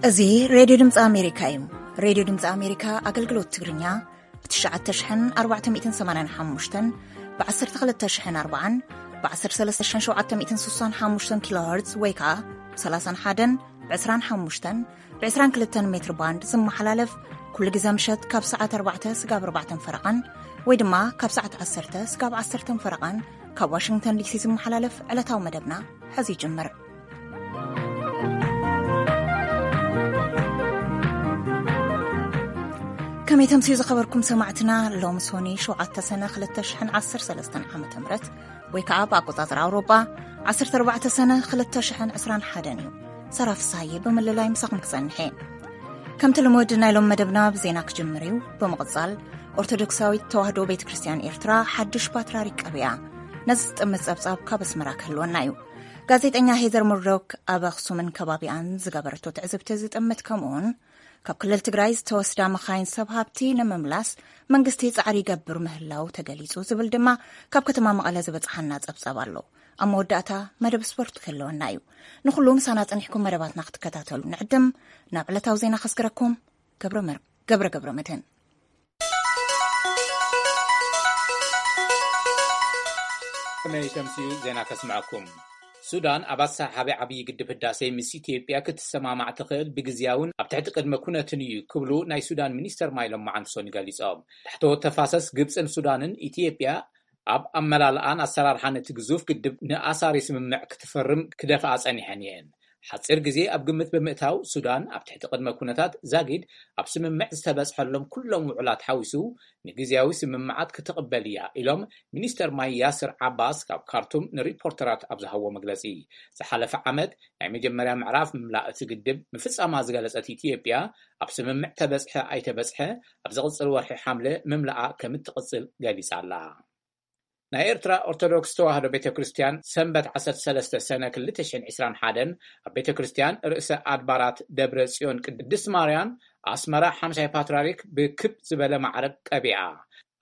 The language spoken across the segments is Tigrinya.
እዚ ሬድዮ ድምፂ ኣሜሪካ እዩ። ሬድዮ ድምፂ ኣሜሪካ ኣገልግሎት ትግርኛ ብ ትሽዓተ ሽሕን ኣርባዕተ ሚእትን ሰማንያን ሓሙሽተን፣ ብ ዓሰርተ ክልተ ሽሕን ኣርባዓን፣ ብ ዓሰርተ ሰለስተ ሽሕን ሸውዓተ ሚእትን ስሳን ሓሙሽተን ኪሎ ሄርዝ ወይ ከዓ ብ ሰላሳን ሓደን፣ ብ ዕስራን ሓሙሽተን፣ ብ ዕስራን ክልተን ሜትር ባንድ ዝመሓላለፍ፣ ኩሉ ግዜ ምሸት ካብ ሰዓት ኣርባዕተ ስጋብ ኣርባዕተን ፈረቓን ወይ ድማ ካብ ሰዓት ዓሰርተ ስጋብ ዓሰርተን ፈረቓን ካብ ዋሽንግተን ዲሲ ዝመሓላለፍ ዕለታዊ መደብና ሕዚ ይጅምር። ከመይ ተምስዩ ዝኸበርኩም ሰማዕትና፣ ሎም ሶኒ ሸውዓተ ሰነ ክልተ ሽሕን ዓሰርተ ሰለስተን ዓመተ ምህረት ወይ ከዓ ብኣቆጻጽራ ኣውሮጳ ዓሰርተ ኣርባዕተ ሰነ ክልተ ሽሕን ዕስራን ሓደን እዩ። ሰራ ፍሳሃየ ብምልላይ ምሳኹም ክጸንሕ እየ። ከምቲ ልሙድ ናይ ሎም መደብና ብዜና ክጅምር እዩ። ብምቕጻል ኦርቶዶክሳዊት ተዋህዶ ቤተ ክርስቲያን ኤርትራ ሓድሽ ፓትርያርክ ቀቢኣ። ነዚ ዝጥምት ጸብጻብ ካብ ኣስመራ ክህልወና እዩ። ጋዜጠኛ ሄዘር ሙርዶክ ኣብ ኣኽሱምን ከባቢኣን ዝገበረቶ ትዕዝብቲ ዝጥምት ከምኡውን ካብ ክልል ትግራይ ዝተወስዳ መኻይን ሰብ ሃብቲ ንምምላስ መንግስቲ ጻዕሪ ይገብር ምህላው ተገሊጹ ዝብል ድማ ካብ ከተማ መቐለ ዝበጽሓና ጸብጻብ ኣሎ። ኣብ መወዳእታ መደብ ስፖርት ክህልወና እዩ። ንኹሉ ምሳና ጸኒሕኩም መደባትና ክትከታተሉ ንዕድም። ናብ ዕለታዊ ዜና ከስግረኩም ገብረ መር-፣ ገብረ ገብረ መድህን። ከመይ ተምስዩ ዜና ከስምዐኩም። ሱዳን ኣብ ኣሰሓሓቢ ዓብዪ ግድብ ህዳሴ ምስ ኢትዮጵያ ክትሰማማዕ ትኽእል ብግዝያውን ኣብ ትሕቲ ቅድመ ኩነትን እዩ ክብሉ ናይ ሱዳን ሚኒስተር ማይ ሎም መዓንቲ ሶኒ ገሊጾም። ታሕተዎት ተፋሰስ ግብፅን ሱዳንን ኢትዮጵያ ኣብ ኣመላልኣን ኣሰራርሓን እቲ ግዙፍ ግድብ ንኣሳሪ ስምምዕ ክትፈርም ክደፍኣ ጸኒሐን እየን። ሓጺር ግዜ ኣብ ግምት ብምእታው ሱዳን ኣብ ትሕቲ ቅድመ ኩነታት ዛጊድ ኣብ ስምምዕ ዝተበጽሐሎም ኩሎም ውዕላት ሓዊሱ ንግዝያዊ ስምምዓት ክትቕበል እያ ኢሎም ሚኒስተር ማይ ያስር ዓባስ ካብ ካርቱም ንሪፖርተራት ኣብ ዝሃብዎ መግለጺ። ዝሓለፈ ዓመት ናይ መጀመርያ ምዕራፍ ምምላእ እቲ ግድብ ምፍጻማ ዝገለጸት ኢትዮጵያ ኣብ ስምምዕ ተበጽሐ ኣይተበጽሐ ኣብ ዝቕጽል ወርሒ ሓምለ ምምላኣ ከም እትቕጽል ገሊጻ ኣላ። ናይ ኤርትራ ኦርቶዶክስ ተዋህዶ ቤተ ክርስቲያን ሰንበት ዓሰርተ ሰለስተ ሰነ ክልተ ሽሕን ዕስራን ሓደን ኣብ ቤተ ክርስቲያን ርእሰ ኣድባራት ደብረ ጽዮን ቅድስት ማርያም ኣስመራ ሓምሻይ ፓትርያርክ ብክብ ዝበለ ማዕረግ ቀቢኣ።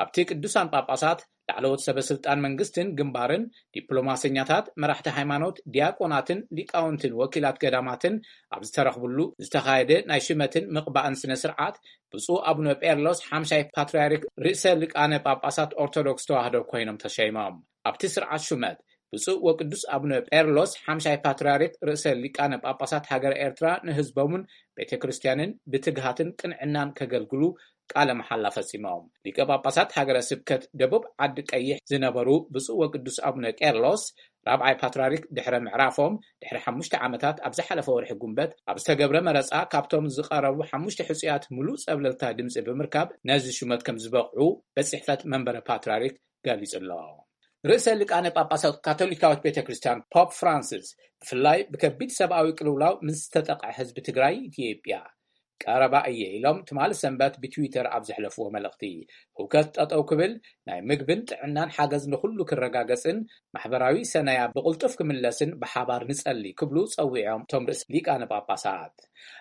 ኣብቲ ቅዱሳን ጳጳሳት፣ ላዕለዎት ሰበ ስልጣን መንግስትን ግንባርን፣ ዲፕሎማሰኛታት፣ መራሕቲ ሃይማኖት፣ ዲያቆናትን ሊቃውንትን ወኪላት ገዳማትን ኣብ ዝተረኽብሉ ዝተኻየደ ናይ ሽመትን ምቕባእን ስነ ስርዓት ብፁዕ ኣቡነ ጴርሎስ ሓምሻይ ፓትርያርክ ርእሰ ሊቃነ ጳጳሳት ኦርቶዶክስ ተዋህዶ ኮይኖም ተሸይሞም። ኣብቲ ስርዓት ሹመት ብፁዕ ወቅዱስ ኣቡነ ጴርሎስ ሓምሻይ ፓትርያርክ ርእሰ ሊቃነ ጳጳሳት ሃገረ ኤርትራ ንህዝቦምን ቤተ ክርስቲያንን ብትግሃትን ቅንዕናን ከገልግሉ ቃለ መሓላ ፈጺሞም። ሊቀ ጳጳሳት ሃገረ ስብከት ደቡብ ዓዲ ቀይሕ ዝነበሩ ብፁዕ ወቅዱስ ኣቡነ ቄርሎስ ራብዓይ ፓትርያርክ ድሕረ ምዕራፎም ድሕሪ ሓሙሽተ ዓመታት ኣብ ዝሓለፈ ወርሒ ጉንበት ኣብ ዝተገብረ መረጻ ካብቶም ዝቐረቡ ሓሙሽተ ሕጹያት ምሉእ ጸብለልታ ድምጺ ብምርካብ ነዚ ሹመት ከም ዝበቕዑ ቤት ጽሕፈት መንበረ ፓትርያርክ ገሊጹ ኣሎ። ርእሰ ሊቃነ ጳጳሳት ካቶሊካዊት ቤተ ክርስቲያን ፖፕ ፍራንሲስ ብፍላይ ብከቢድ ሰብኣዊ ቅልውላው ምስ ዝተጠቕዐ ህዝቢ ትግራይ ኢትዮጵያ ቀረባ እየ ኢሎም ትማሊ ሰንበት ብትዊተር ኣብ ዘሕለፍዎ መልእኽቲ፣ ህውከት ጠጠው ክብል፣ ናይ ምግብን ጥዕናን ሓገዝ ንኹሉ ክረጋገጽን ማሕበራዊ ሰናያ ብቕልጡፍ ክምለስን ብሓባር ንጸሊ ክብሉ ጸዊዖም እቶም ርእሰ ሊቃነ ጳጳሳት።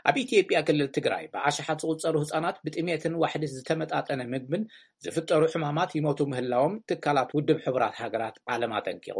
ኣብ ኢትዮጵያ ክልል ትግራይ ብኣሽሓት ዝቑጸሩ ህጻናት ብጥሜትን ዋሕዲ ዝተመጣጠነ ምግብን ዝፍጠሩ ሕማማት ይሞቱ ምህላዎም ትካላት ውድብ ሕቡራት ሃገራት ዓለም ኣጠንቂቑ።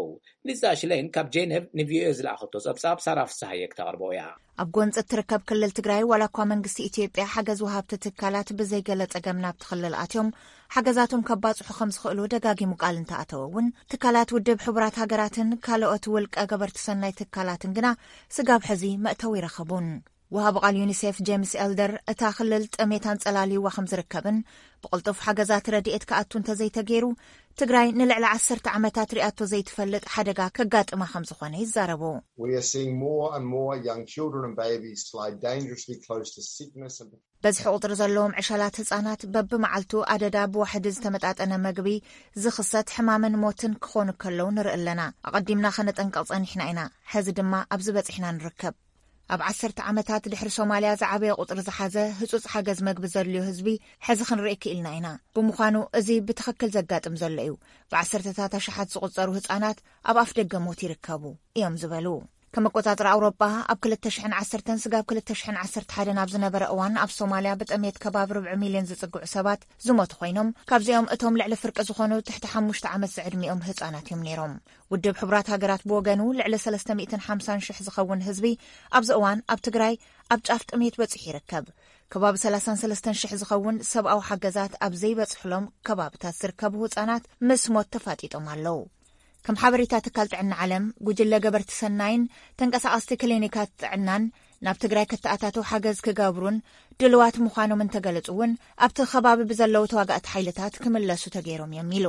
ሊዛ ሽሌን ካብ ጄኔቭ ንቪኦኤ ዝለኣኸቶ ጸብጻብ ሳራ ፍስሃየ ክተቕርቦ እያ። ኣብ ጎንፂ እትርከብ ክልል ትግራይ ዋላ እኳ መንግስቲ ኢትዮጵያ ሓገዝ ወሃብቲ ትካላት ብዘይገለ ጸገም ናብቲ ክልል ኣትዮም ሓገዛቶም ከባጽሑ ከም ዝኽእሉ ደጋጊሙ ቃል እንተኣተወ እውን ትካላት ውድብ ሕቡራት ሃገራትን ካልኦት ውልቀ ገበርቲ ሰናይ ትካላትን ግና ስጋብ ሕዚ መእተዊ ይረኸቡን። ወሃቢ ቃል ዩኒሴፍ ጄምስ ኤልደር እታ ክልል ጥሜት ኣንጸላልይዋ ከም ዝርከብን ብቕልጡፍ ሓገዛት ረድኤት ክኣቱ እንተዘይተገይሩ ትግራይ ንልዕሊ ዓሰርተ ዓመታት ሪኣቶ ዘይትፈልጥ ሓደጋ ከጋጥማ ከም ዝኾነ ይዛረቡ። We are seeing more and more young children and babies lie dangerously close to sickness and በዝሒ ቁፅሪ ዘለዎም ዕሸላት ህፃናት በብመዓልቱ ኣደዳ ብዋሕዲ ዝተመጣጠነ መግቢ ዝኽሰት ሕማምን ሞትን ክኾኑ ከለዉ ንርኢ ኣለና። ኣቐዲምና ከነጠንቅቕ ጸኒሕና ኢና። ሕዚ ድማ ኣብዚ በፂሕና ንርከብ። ኣብ ዓሰርተ ዓመታት ድሕሪ ሶማልያ ዝዓበየ ቁፅሪ ዝሓዘ ህፁፅ ሓገዝ መግቢ ዘድልዮ ህዝቢ ሕዚ ክንርኢ ክኢልና ኢና። ብምዃኑ እዚ ብትኽክል ዘጋጥም ዘሎ እዩ። ብዓሰርተታት ኣሽሓት ዝቑጸሩ ህጻናት ኣብ ኣፍ ደገ ሞት ይርከቡ እዮም ዝበሉ። ከም ኣቆጻጽራ ኣውሮጳ፣ ኣብ ክልተ ሽሕን ዓሰርተን ስጋብ ክልተ ሽሕን ዓሰርተ ሓደን ኣብ ዝነበረ እዋን፣ ኣብ ሶማልያ ብጥሜት ከባቢ ርብዒ ሚልዮን ዝጽግዑ ሰባት ዝሞቱ ኮይኖም፣ ካብዚኦም እቶም ልዕሊ ፍርቂ ዝኾኑ ትሕቲ ሓሙሽተ ዓመት ዝዕድሚኦም ህጻናት እዮም ነይሮም። ውድብ ሕቡራት ሃገራት ብወገኑ፣ ልዕሊ ሰለስተ ሚእትን ሓምሳን ሽሕ ዝኸውን ህዝቢ ኣብዚ እዋን ኣብ ትግራይ ኣብ ጫፍ ጥሜት በጺሑ ይርከብ። ከባቢ ሰላሳን ሰለስተን ሽሕ ዝኸውን ሰብኣዊ ሓገዛት ኣብ ዘይበጽሕሎም ከባብታት ዝርከቡ ህጻናት ምስ ሞት ተፋጢጦም ኣለዉ። ከም ሓበሬታ ትካል ጥዕና ዓለም፣ ጉጅለ ገበርቲ ሰናይን ተንቀሳቐስቲ ክሊኒካት ጥዕናን ናብ ትግራይ ከተኣታተው ሓገዝ ክገብሩን ድልዋት ምዃኖም እንተገለጹ እውን፣ ኣብቲ ከባቢ ብዘለዉ ተዋጋእቲ ሓይልታት ክምለሱ ተገይሮም እዮም ኢሉ።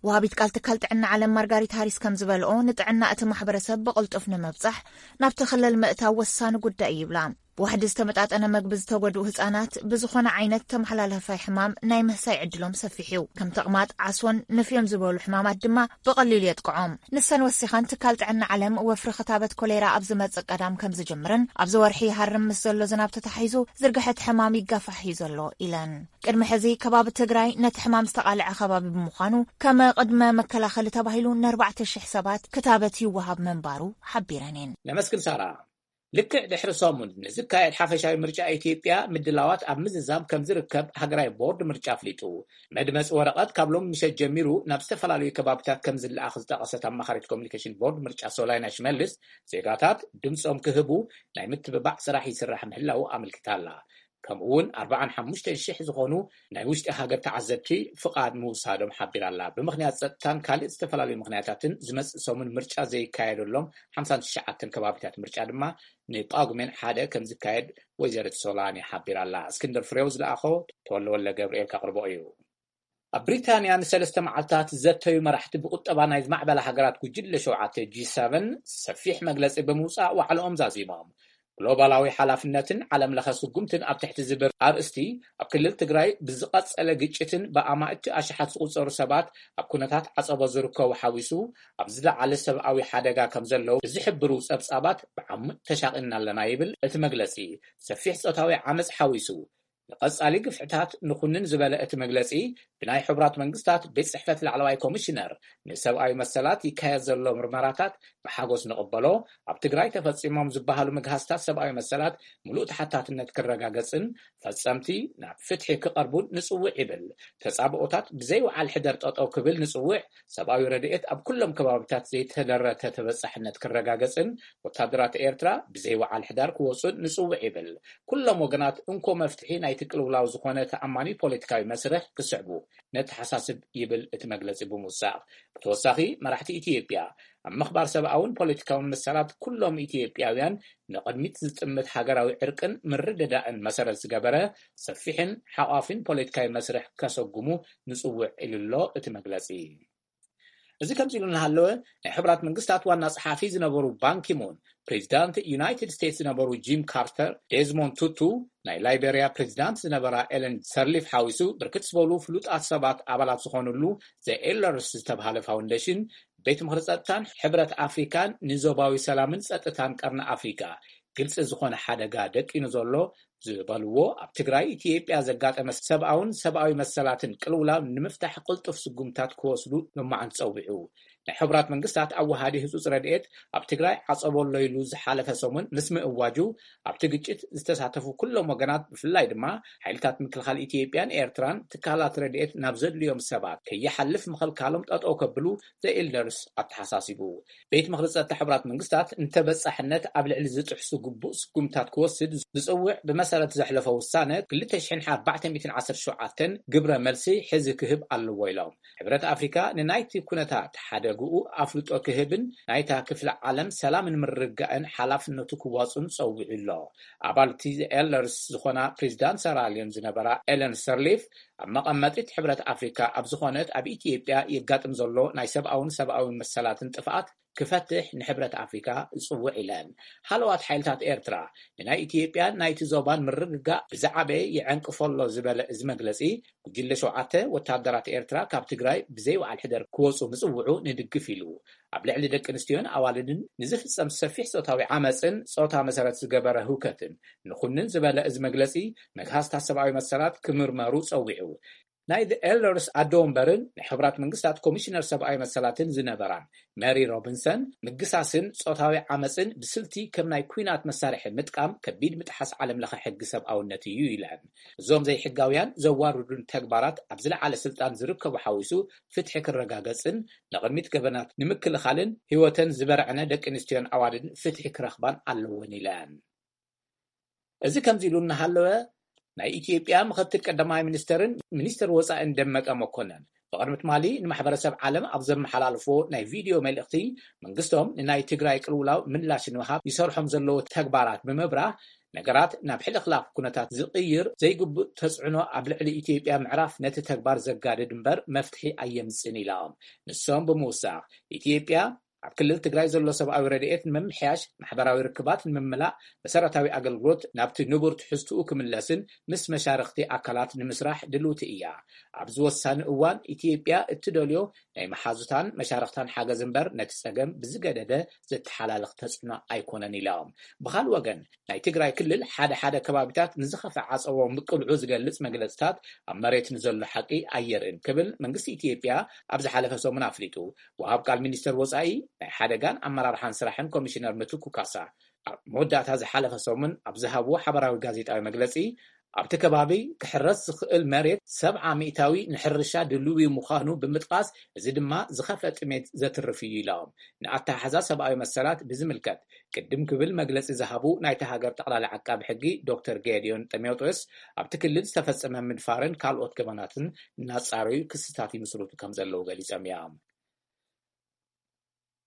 ወሃቢት ቃል ትካል ጥዕና ዓለም ማርጋሪት ሃሪስ ከም ዝበልኦ፣ ንጥዕና እቲ ማሕበረሰብ ብቕልጡፍ ንምብጻሕ ናብቲ ክልል ምእታው ወሳኒ ጉዳይ እዩ ይብላ። ብዋሕዲ ዝተመጣጠነ መግቢ ዝተጎድኡ ህጻናት ብዝኾነ ዓይነት ተመሓላላፋይ ሕማም ናይ ምህሳይ ዕድሎም ሰፊሕ እዩ። ከም ተቕማጥ፣ ዓሶን ንፍዮን ዝበሉ ሕማማት ድማ ብቐሊሉ የጥቅዖም። ንሰን ወሲኸን፣ ትካል ጥዕና ዓለም ወፍሪ ክታበት ኮሌራ ኣብ ዝመጽእ ቀዳም ከም ዝጅምርን ኣብዚ ወርሒ ይሃርም ምስ ዘሎ ዝናብ ተታሒዙ ዝርግሐት ሕማም ይጋፋሕ እዩ ዘሎ ኢለን። ቅድሚ ሕዚ ከባቢ ትግራይ ነቲ ሕማም ዝተቓልዐ ከባቢ ብምዃኑ፣ ከም ቅድመ መከላኸሊ ተባሂሉ ንኣርባዕተ ሽሕ ሰባት ክታበት ይወሃብ ምንባሩ ሓቢረን እየን። ነመስግን ሳራ። ልክዕ ድሕሪ ሰሙን ንዝካየድ ሓፈሻዊ ምርጫ ኢትዮጵያ ምድላዋት ኣብ ምዝዛም ከም ዝርከብ ሃገራዊ ቦርድ ምርጫ ኣፍሊጡ። መድመፂ ወረቐት ካብ ሎም ምሸት ጀሚሩ ናብ ዝተፈላለዩ ከባብታት ከም ዝለኣኽ ዝጠቐሰት ኣማኻሪት ኮሚኒኬሽን ቦርድ ምርጫ ሶላይና ሽመልስ፣ ዜጋታት ድምፆም ክህቡ ናይ ምትብባዕ ስራሕ ይስራሕ ምህላው ኣመልኪታ ኣላ። ከምኡ እውን ኣርባዓን ሓሙሽተን ሽሕ ዝኾኑ ናይ ውሽጢ ሃገር ተዓዘብቲ ፍቓድ ምውሳዶም ሓቢራ ኣላ። ብምኽንያት ጸጥታን ካልእ ዝተፈላለዩ ምኽንያታትን ዝመጽእ ሰሙን ምርጫ ዘይካየደሎም ሓምሳን ትሽዓተን ከባቢታት ምርጫ ድማ ንጳጉሜን ሓደ ከም ዝካየድ ወይዘሪት ሶላኒ ሓቢራ ኣላ። እስክንድር ፍሬው ዝለኣኾ ተወልደ ወልደ ገብርኤል ከቕርቦ እዩ። ኣብ ብሪታንያ ንሰለስተ መዓልታት ዘተዩ መራሕቲ ብቁጠባ ናይ ዝማዕበላ ሃገራት ጉጅለ ሸውዓተ ጂ ሰቨን ሰፊሕ መግለጺ ብምውጻእ ዋዕልኦም ዛዚሞም። ግሎባላዊ ሓላፍነትን ዓለም ለኸ ስጉምትን ኣብ ትሕቲ ዝብል ኣርእስቲ፣ ኣብ ክልል ትግራይ ብዝቐጸለ ግጭትን ብኣማእቲ ኣሽሓት ዝቑጸሩ ሰባት ኣብ ኩነታት ዓጸቦ ዝርከቡ ሓዊሱ፣ ኣብ ዝለዓለ ሰብኣዊ ሓደጋ ከም ዘለዉ ዝሕብሩ ጸብጻባት ብዓሙቕ ተሻቒልና ኣለና ይብል እቲ መግለጺ። ሰፊሕ ጾታዊ ዓመጽ ሓዊሱ፣ ንቐጻሊ ግፍዕታት ንኹንን ዝበለ እቲ መግለጺ፣ ብናይ ሕቡራት መንግስታት ቤት ጽሕፈት ላዕለዋይ ኮሚሽነር ንሰብኣዊ መሰላት ይካየድ ዘሎ ምርመራታት ብሓጎስ ንቕበሎ፣ ኣብ ትግራይ ተፈጺሞም ዝበሃሉ ምግሃስታት ሰብኣዊ መሰላት ምሉእ ተሓታትነት ክረጋገጽን ፈጸምቲ ናብ ፍትሒ ክቐርቡን ንጽውዕ ይብል። ተጻብኦታት ብዘይ ወዓል ሕደር ጠጠው ክብል ንጽውዕ፣ ሰብኣዊ ረድኤት ኣብ ኩሎም ከባቢታት ዘይተደረተ ተበጻሕነት ክረጋገጽን ወታደራት ኤርትራ ብዘይ ወዓል ሕዳር ክወጹን ንጽውዕ ይብል። ኩሎም ወገናት እንኮ መፍትሒ ናይቲ ቅልውላው ዝኾነ ተኣማኒ ፖለቲካዊ መስርሕ ክስዕቡ ነተሓሳስብ ይብል እቲ መግለጺ ብምውሳኽ። ብተወሳኺ መራሕቲ ኢትዮጵያ ኣብ ምኽባር ሰብኣውን ፖለቲካውን መሰላት ኩሎም ኢትዮጵያውያን ንቕድሚት ዝጥምት ሃገራዊ ዕርቅን ምርድዳእን መሰረት ዝገበረ ሰፊሕን ሓቋፊን ፖለቲካዊ መስርሕ ከሰጉሙ ንጽውዕ ኢሉ ኣሎ እቲ መግለጺ። እዚ ከምዚ ኢሉ እናሃለወ፣ ናይ ሕቡራት መንግስታት ዋና ጸሓፊ ዝነበሩ ባንኪሙን፣ ፕሬዚዳንት ዩናይትድ ስቴትስ ዝነበሩ ጂም ካርተር፣ ዴዝሞንድ ቱቱ፣ ናይ ላይቤሪያ ፕሬዚዳንት ዝነበራ ኤለን ሰርሊፍ ሓዊሱ ብርክት ዝበሉ ፍሉጣት ሰባት ኣባላት ዝኾኑሉ ዘ ኤልደርስ ዝተብሃለ ፋውንዴሽን፣ ቤት ምኽሪ ጸጥታን ሕብረት ኣፍሪካን ንዞባዊ ሰላምን ጸጥታን ቀርኒ ኣፍሪካ ግልጺ ዝኾነ ሓደጋ ደቂኑ ዘሎ ዝበልዎ፣ ኣብ ትግራይ ኢትዮጵያ ዘጋጠመ ሰብኣውን ሰብኣዊ መሰላትን ቅልውላው ንምፍታሕ ቅልጡፍ ስጉምታት ክወስዱ ልማዓን ጸዊዑ። ናይ ሕቡራት መንግስታት ኣወሃዲ ህጹጽ ረድኤት ኣብ ትግራይ ዓጸቦ ኣሎ ኢሉ ዝሓለፈ ሰሙን ምስ ምእዋጁ፣ ኣብቲ ግጭት ዝተሳተፉ ኩሎም ወገናት፣ ብፍላይ ድማ ሓይልታት ምክልኻል ኢትዮጵያን ኤርትራን፣ ትካላት ረድኤት ናብ ዘድልዮም ሰባት ከይሓልፍ ምኽልካሎም ጠጠው ከብሉ ዘ ኤልደርስ ኣተሓሳሲቡ። ቤት ምኽሪ ጸጥታ ሕቡራት መንግስታት ንተበጻሕነት ኣብ ልዕሊ ዝጥሕሱ ግቡእ ስጉምታት ክወስድ ዝጽውዕ ብመሰረት ዘሕለፎ ውሳነ ክልተ ሽሕን ኣርባዕተ ሚእትን ዓሰርተ ሸውዓተን ግብረ መልሲ ሕዚ ክህብ ኣለዎ ኢሎም። ሕብረት ኣፍሪካ ንናይቲ ኩነታት ሓደግኡ ኣፍልጦ ክህብን ናይታ ክፍለ ዓለም ሰላምን ምርግጋእን ሓላፍነቱ ክዋጹን ጸዊዑ ኣሎ። ኣባል እቲ ኤልደርስ ዝኾና ፕሬዚዳንት ሰራልዮን ዝነበራ ኤለን ሰርሊፍ፣ ኣብ መቐመጢት ሕብረት ኣፍሪካ ኣብ ዝኾነት ኣብ ኢትዮጵያ የጋጥም ዘሎ ናይ ሰብኣውን ሰብኣዊ መሰላትን ጥፍኣት ክፈትሕ ንሕብረት ኣፍሪካ እጽውዕ ኢለን። ሃለዋት ሓይልታት ኤርትራ ንናይ ኢትዮጵያን ናይቲ ዞባን ምርግጋእ ብዝዓበየ ይዐንቅፎ ኣሎ ዝበለ እዚ መግለጺ፣ ጉጅለ ሸውዓተ ወታደራት ኤርትራ ካብ ትግራይ ብዘይ ወዓል ሕደር ክወጹ ምጽውዑ ንድግፍ ኢሉ። ኣብ ልዕሊ ደቂ ኣንስትዮን ኣዋልድን ንዝፍጸም ሰፊሕ ጾታዊ ዓመጽን ጾታ መሰረት ዝገበረ ህውከትን ንኹንን ዝበለ እዚ መግለጺ፣ መግሃስታት ሰብኣዊ መሰላት ክምርመሩ ጸዊዑ። ናይ The Elders ኣዶ ወንበርን ናይ ሕቡራት መንግስታት ኮሚሽነር ሰብኣዊ መሰላትን ዝነበራን መሪ ሮቢንሰን፣ ምግሳስን ጾታዊ ዓመጽን ብስልቲ ከም ናይ ኲናት መሳርሒ ምጥቃም ከቢድ ምጥሓስ ዓለም ለኸ ሕጊ ሰብኣውነት እዩ ኢለን። እዞም ዘይሕጋውያን ዘዋርዱን ተግባራት ኣብ ዝለዓለ ስልጣን ዝርከቡ ሓዊሱ ፍትሒ ክረጋገጽን ንቕድሚት ገበናት ንምክልኻልን ህይወተን ዝበርዐነ ደቂ ኣንስትዮን ኣዋልድን ፍትሒ ክረኽባን ኣለወን ኢለን። እዚ ከምዚ ኢሉ እናሃለወ፣ ናይ ኢትዮጵያ ምኽትል ቀዳማይ ሚኒስተርን ሚኒስተር ወጻኢን ደመቀ መኮነን ብቕድሚ ትማሊ ንማሕበረሰብ ዓለም ኣብ ዘመሓላልፎ ናይ ቪድዮ መልእኽቲ፣ መንግስቶም ንናይ ትግራይ ቅልውላው ምላሽ ንምሃብ ይሰርሖም ዘለዉ ተግባራት ብምብራህ፣ ነገራት ናብ ሕልኽላኽ ኩነታት ዝቕይር ዘይግቡእ ተጽዕኖ ኣብ ልዕሊ ኢትዮጵያ ምዕራፍ ነቲ ተግባር ዘጋድድ እምበር መፍትሒ ኣየምጽእን ኢሎም። ንሶም ብምውሳኽ፣ ኢትዮጵያ ኣብ ክልል ትግራይ ዘሎ ሰብኣዊ ረድኤት ንምምሕያሽ፣ ማሕበራዊ ርክባት ንምምላእ፣ መሰረታዊ ኣገልግሎት ናብቲ ንቡር ትሕዝትኡ ክምለስን ምስ መሻርኽቲ ኣካላት ንምስራሕ ድልውቲ እያ። ኣብዚ ወሳኒ እዋን ኢትዮጵያ እትደልዮ ናይ መሓዙታን መሻርኽታን ሓገዝ እምበር ነቲ ጸገም ብዝገደደ ዘተሓላልኽ ተጽዕኖ ኣይኮነን ኢሎም። ብኻልእ ወገን፣ ናይ ትግራይ ክልል ሓደ ሓደ ከባቢታት ንዝኸፍአ ዓጸቦ ምቅልዑ ዝገልጽ መግለጽታት ኣብ መሬት ንዘሎ ሓቂ ኣየርእን ክብል መንግስቲ ኢትዮጵያ ኣብ ዝሓለፈ ሰሙን ኣፍሊጡ። ወሃብ ቃል ሚኒስተር ወጻኢ ናይ ሓደጋን ኣመራርሓን ስራሕን ኮሚሽነር ምትኩ ካሳ ኣብ መወዳእታ ዝሓለፈ ሰሙን ኣብ ዝሃብዎ ሓበራዊ ጋዜጣዊ መግለጺ፣ ኣብቲ ከባቢ ክሕረስ ዝኽእል መሬት ሰብዓ ሚእታዊ ንሕርሻ ድልዊ ምዃኑ ብምጥቃስ፣ እዚ ድማ ዝኸፍአ ጥሜት ዘትርፍ እዩ ኢሎም። ንኣተሓሕዛ ሰብኣዊ መሰላት ብዝምልከት ቅድም ክብል መግለጺ ዝሃቡ ናይታ ሃገር ጠቕላሊ ዓቃቢ ሕጊ ዶክተር ጌድዮን ጢሞቴዎስ፣ ኣብቲ ክልል ዝተፈጸመ ምድፋርን ካልኦት ገበናትን እናጻረዩ ክስታት ይምስርቱ ከም ዘለዉ ገሊጾም እዮም።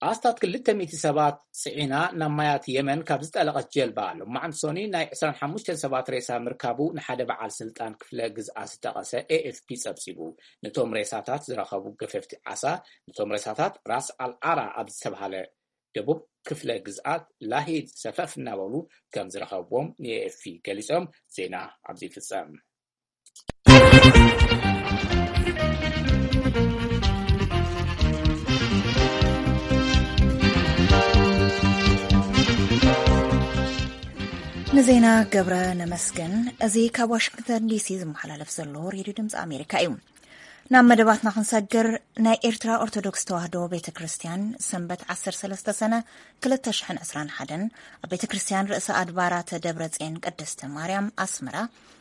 ኣስታት ክልተ ሚእቲ ሰባት ጽዒና ናብ ማያት የመን ካብ ዝጠለቐት ጀልባ፣ ሎማዕንቲ ሶኒ ናይ ዕስራን ሓሙሽተን ሰባት ሬሳ ምርካቡ ንሓደ በዓል ስልጣን ክፍለ ግዝኣት ዝጠቐሰ ኤኤፍፒ ጸብጺቡ። ነቶም ሬሳታት ዝረኸቡ ገፈፍቲ ዓሳ፣ ነቶም ሬሳታት ራስ ኣልዓራ ኣብ ዝተባህለ ደቡብ ክፍለ ግዝኣት ላሂድ ሰፈፍ እናበሉ ከም ዝረኸብዎም ንኤኤፍፒ ገሊጾም። ዜና ኣብዚ ይፍጸም። ንዜና ገብረ ነመስግን። እዚ ካብ ዋሽንግተን ዲሲ ዝመሓላለፍ ዘሎ ሬድዮ ድምፂ ኣሜሪካ እዩ። ናብ መደባትና ክንሰግር፣ ናይ ኤርትራ ኦርቶዶክስ ተዋህዶ ቤተ ክርስቲያን ሰንበት ዓሰርተ ሰለስተ ሰነ ክልተ ሽሕን ዕስራን ሓደን ኣብ ቤተ ክርስቲያን ርእሰ ኣድባራተ ደብረ ጽዮን ቅድስተ ማርያም ኣስመራ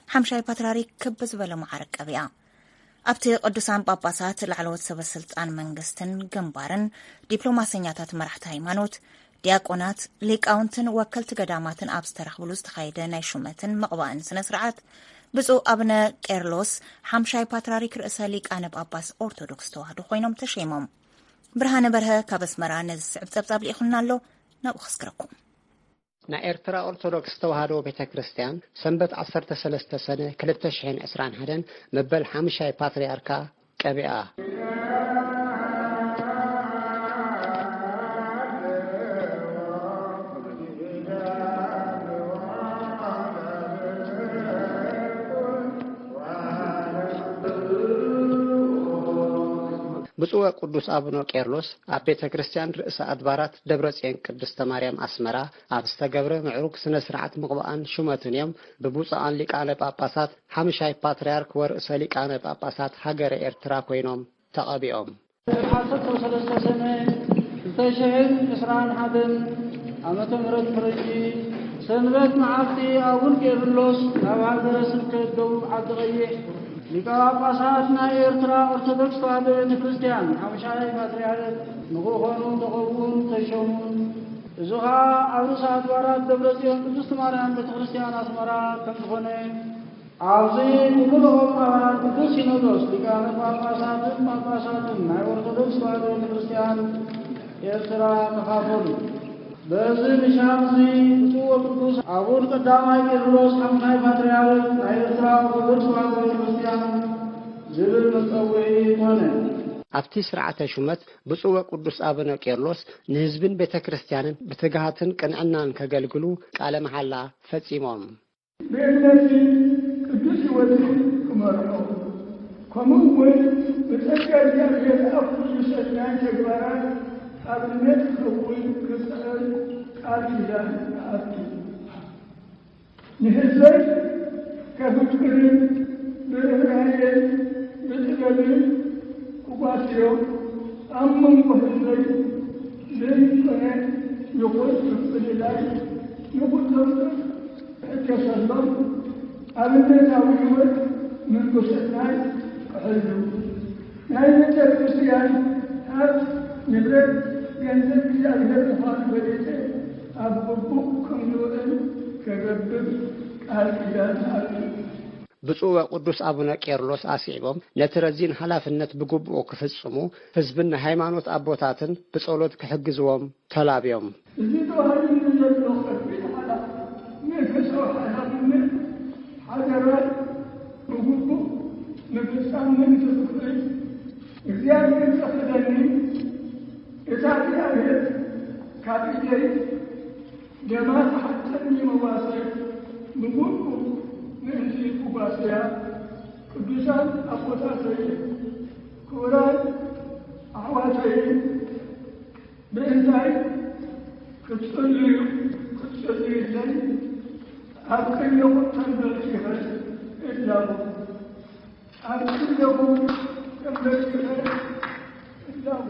ሓምሻይ ፓትርያርክ ክብ ዝበለ መዓርግ ቀቢኣ። ኣብቲ ቅዱሳን ጳጳሳት፣ ላዕለዎት ሰበ ስልጣን መንግስትን ግንባርን፣ ዲፕሎማሰኛታት፣ መራሕቲ ሃይማኖት፣ ዲያቆናት፣ ሊቃውንትን ወከልቲ ገዳማትን ኣብ ዝተረኽብሉ ዝተኻየደ ናይ ሹመትን ምቕባእን ስነ ስርዓት፣ ብፁዕ ኣቡነ ቄርሎስ ሓምሻይ ፓትርያርክ ርእሰ ሊቃነ ጳጳስ ኦርቶዶክስ ተዋህዶ ኮይኖም ተሸይሞም። ብርሃነ በርሀ ካብ ኣስመራ ነዚ ዝስዕብ ጸብጻብ ልኢኹልና ኣሎ፣ ናብኡ ከስግረኩም። ናይ ኤርትራ ኦርቶዶክስ ተዋህዶ ቤተ ክርስቲያን ሰንበት ዓሰርተ ሰለስተ ሰነ ክልተ ሽሕን ዕስራን ሓደን መበል ሓምሻይ ፓትርያርካ ቀቢኣ። ብፁዕ ወቅዱስ ኣቡነ ቄርሎስ ኣብ ቤተ ክርስቲያን ርእሰ ኣድባራት ደብረ ጽዮን ቅድስተ ማርያም ኣስመራ ኣብ ዝተገብረ ምዕሩግ ስነ ስርዓት ምቕባእን ሹመትን እዮም ብብፁዓን ሊቃነ ጳጳሳት ሓምሻይ ፓትርያርክ ወርእሰ ሊቃነ ጳጳሳት ሃገረ ኤርትራ ኮይኖም ተቐቢኦም። ዓሰርተ ሰለስተ ሰነ ክልተ ሽሕን ዕስራን ሓደን ዓመተ ምህረት ፈረንጂ፣ ሰንበት መዓልቲ ኣቡን ቄርሎስ ናብ ሃገረ ስብከት ደቡብ ዓዲ ቀይሕ ሊቀ ጳጳሳት ናይ ኤርትራ ኦርቶዶክስ ተዋህዶ ቤተ ክርስቲያን ሓሙሻይ ፓትርያርክ ንክኾኑ ተቐብኡን ተሾሙን። እዚ ኸኣ ኣብ ርእሰ ኣድባራት ደብረ ጽዮን ቅድስት ማርያም ቤተ ክርስቲያን ኣስመራ ከም ዝኾነ፣ ኣብዚ ኩሉ ልኡኻት ኣባላት ቅዱስ ሲኖዶስ ሊቃነ ጳጳሳትን ጳጳሳትን ናይ ኦርቶዶክስ ተዋህዶ ቤተ ክርስቲያን ኤርትራ ተኻፈሉ። በዚ ምሻት እዚ ብፁዕ ወቅዱስ ኣቡን ቀዳማይ ቄርሎስ ሓሙሻይ ፓትርያርክ ናይ ኤርትራ ኦርቶዶክስ ተዋህዶ ቤተ ክርስቲያን ዝብል መጸውዒ ኮነ። ኣብቲ ስርዓተ ሹመት ብፁዕ ወቅዱስ ኣቡነ ቄርሎስ ንህዝብን ቤተ ክርስቲያንን ብትግሃትን ቅንዕናን ከገልግሉ ቃለ መሓላ ፈጺሞም። ብእምነትን ቅዱስ ሕይወትን ክመርሖ፣ ከምኡ እውን ብጸጋ እግዚኣብሔር ኣብ ኩሉ ሰናይ ተግባራት ኣብነት ክኸውን ክጽዕር ቃል ኪዳን እኣቱ። ንህዝበይ ከፍቅርን ብርህራሄን ብሰናይ ክሕሉ ናይ ቤተ ክርስቲያን ሃብት ንብረት ገንዘብ እግዚኣብሔር ምዃኑ ፈሊጠ ኣብ ግቡእ ከም ዝውዕል ከገብር ቃል ኪዳን ኣቱ። ብፁዕ ወቅዱስ ኣቡነ ቄርሎስ ኣስዒቦም ነቲ ረዚን ሓላፍነት ብግቡኡ ክፍጽሙ ህዝብን ናይ ሃይማኖት ኣቦታትን ብጸሎት ክሕግዝዎም ተላብዮም። እዚ ተዋሂቡኒ ዘሎ ከቢድ ሓላ መንፈሳዊ ሓላፍነት ሓደራይ ብግቡእ ምፍጻም ምእንቲ ክኽእል እግዚኣብሔር ዘኽእለኒ እታ እግዚኣብሔር ካብ ኢደይ ደማ ትሓተኒ መዋሰይ ብግቡእ ምእንቲ ክዋሰያ ቅዱሳን ኣቦታተይ ክቡራን ኣሕዋተይ ምእንታይ ክትጽልዩ ክትጽልዩለይ ኣብ ቅድሚኹም ተንበርኪኸ እላቦ ኣብ ቅድሚኹም ተንበርኪኸ እላቦ።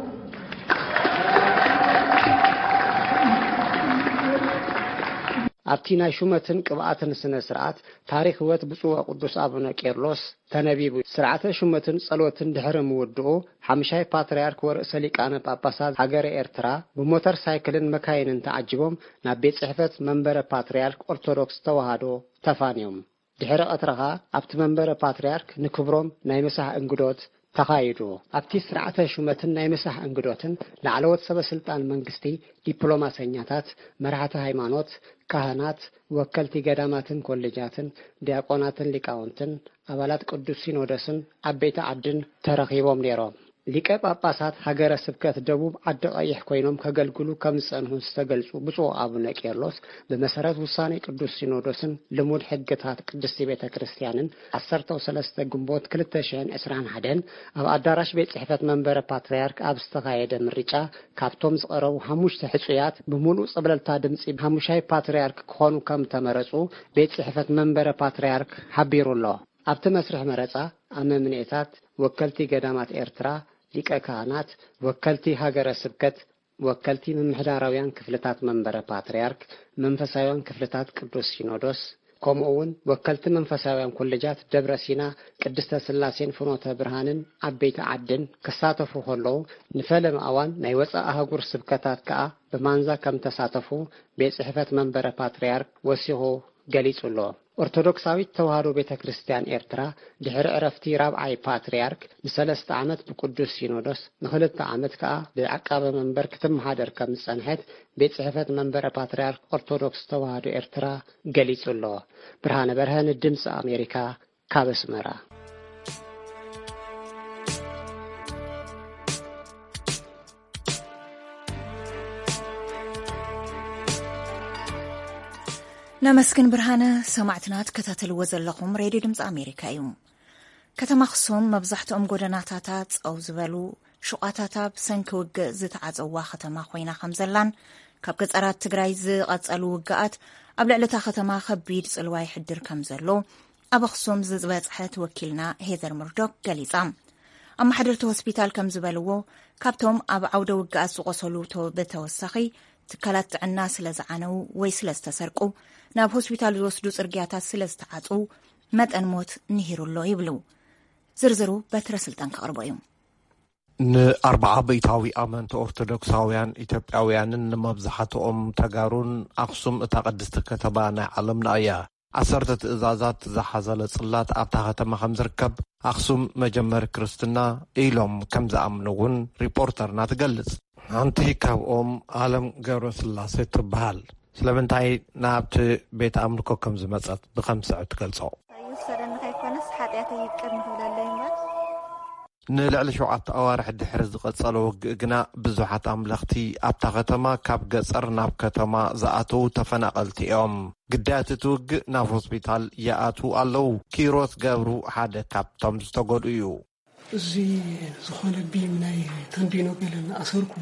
ኣብቲ ናይ ሹመትን ቅብኣትን ስነ ስርዓት ታሪኽ ህይወት ብፁዕ ወቅዱስ ኣቡነ ቄርሎስ ተነቢቡ። ስርዓተ ሹመትን ጸሎትን ድሕሪ ምውድኡ ሓምሻይ ፓትርያርክ ወርእሰ ሊቃነ ጳጳሳት ሃገረ ኤርትራ ብሞተር ሳይክልን መካይንን ተዓጂቦም ናብ ቤት ጽሕፈት መንበረ ፓትርያርክ ኦርቶዶክስ ተዋህዶ ተፋንዮም። ድሕሪ ቀትሪ ኸኣ ኣብቲ መንበረ ፓትርያርክ ንክብሮም ናይ ምሳሕ እንግዶት ተኻይዱ። ኣብቲ ስርዓተ ሹመትን ናይ ምሳሕ እንግዶትን ላዕለዎት ሰበ ስልጣን መንግስቲ፣ ዲፕሎማሰኛታት፣ መራሕቲ ሃይማኖት፣ ካህናት፣ ወከልቲ ገዳማትን ኮሌጃትን፣ ዲያቆናትን ሊቃውንትን፣ ኣባላት ቅዱስ ሲኖዶስን ዓበይቲ ዓድን ተረኺቦም ነይሮም። ሊቀ ጳጳሳት ሃገረ ስብከት ደቡብ ዓዲ ቀይሕ ኮይኖም ከገልግሉ ከም ዝጸንሑ ዝተገልጹ ብፁዕ ኣቡነ ቄርሎስ ብመሰረት ውሳኔ ቅዱስ ሲኖዶስን ልሙድ ሕግታት ቅድስቲ ቤተ ክርስቲያንን ዓሰርተ ሰለስተ ግንቦት ክልተ ሽሕን ዕስራን ሓደን ኣብ ኣዳራሽ ቤት ጽሕፈት መንበረ ፓትርያርክ ኣብ ዝተኻየደ ምርጫ ካብቶም ዝቐረቡ ሓሙሽተ ሕጹያት ብምሉእ ጸብለልታ ድምጺ ሓሙሻይ ፓትርያርክ ክኾኑ ከም ተመረጹ ቤት ጽሕፈት መንበረ ፓትርያርክ ሓቢሩ ኣሎ። ኣብቲ መስርሕ መረጻ ኣመምኔታት፣ ወከልቲ ገዳማት ኤርትራ፣ ሊቀ ካህናት፣ ወከልቲ ሃገረ ስብከት፣ ወከልቲ ምምሕዳራውያን ክፍልታት መንበረ ፓትርያርክ፣ መንፈሳውያን ክፍልታት ቅዱስ ሲኖዶስ፣ ከምኡ እውን ወከልቲ መንፈሳውያን ኮሌጃት ደብረ ሲና፣ ቅድስተ ስላሴን ፍኖተ ብርሃንን ዓበይቲ ዓድን ክሳተፉ ከለዉ፣ ንፈለማ እዋን ናይ ወጻኢ ኣህጉር ስብከታት ከኣ ብማንዛ ከም ተሳተፉ ቤት ጽሕፈት መንበረ ፓትርያርክ ወሲኹ ገሊጹ ኣሎ። ኦርቶዶክሳዊት ተዋህዶ ቤተ ክርስቲያን ኤርትራ ድሕሪ ዕረፍቲ ራብዓይ ፓትርያርክ ንሰለስተ ዓመት ብቅዱስ ሲኖዶስ ንኽልተ ዓመት ከኣ ብዓቃበ መንበር ክትመሓደር ከም ዝጸንሐት ቤት ጽሕፈት መንበረ ፓትርያርክ ኦርቶዶክስ ተዋህዶ ኤርትራ ገሊጹ ኣሎ። ብርሃነ በርሀ ንድምፂ ኣሜሪካ ካብ ኣስመራ። ነመስግን ብርሃነ። ሰማዕትና ትከታተልዎ ዘለኹም ሬድዮ ድምፂ ኣሜሪካ እዩ። ከተማ ኣኽሱም መብዛሕትኦም ጎደናታታ ጸው ዝበሉ፣ ሹቓታታ ብሰንኪ ውግእ ዝተዓጸዋ ከተማ ኮይና ከም ዘላን ካብ ገጸራት ትግራይ ዝቐጸሉ ውግኣት ኣብ ልዕሊ እታ ከተማ ከቢድ ጽልዋ ይሕድር ከም ዘሎ ኣብ ኣኽሱም ዝበጽሐት ወኪልና ሄዘር ምርዶክ ገሊጻ። ኣመሓደርቲ ሆስፒታል ከም ዝበልዎ፣ ካብቶም ኣብ ዓውደ ውግኣት ዝቖሰሉ ብተወሳኺ ትካላት ጥዕና ስለ ዝዓነው ወይ ስለ ዝተሰርቁ፣ ናብ ሆስፒታል ዝወስዱ ጽርግያታት ስለ ዝተዓጽው መጠን ሞት ንሂሩ ኣሎ ይብሉ። ዝርዝሩ በትረ ስልጣን ከቕርቦ እዩ። ንኣርባዓ ብኢታዊ ኣመንቲ ኦርቶዶክሳውያን ኢትዮጵያውያንን ንመብዛሕትኦም ተጋሩን ኣኽሱም እታ ቅድስቲ ከተማ ናይ ዓለምና እያ። ዓሰርተ ትእዛዛት ዝሓዘለ ጽላት ኣብታ ከተማ ከም ዝርከብ ኣኽሱም መጀመሪ ክርስትና ኢሎም ከም ዝኣምኑ እውን ሪፖርተርና ትገልጽ። ሓንቲ ካብኦም ኣለም ገብረስላሴ ትበሃል። ስለምንታይ ናብቲ ቤት ኣምልኮ ከም ዝመጸት ብኸም ስዕብ ትገልጾ። ይውሰደኒ ከይኮነስ ሓጢኣተይ ይቅር ንኽብለለይ እምበር። ንልዕሊ ሸውዓተ ኣዋርሕ ድሕሪ ዝቐጸለ ውግእ ግና ብዙሓት ኣምለኽቲ ኣብታ ከተማ ካብ ገጸር ናብ ከተማ ዝኣተዉ ተፈናቐልቲ እዮም። ግዳያት እቲ ውግእ ናብ ሆስፒታል ይኣትዉ ኣለዉ። ኪሮስ ገብሩ ሓደ ካብቶም ዝተጎድኡ እዩ። እዚ ዝኾነ ቢም ናይ ተንዲኖ ገለ እናኣሰርኩ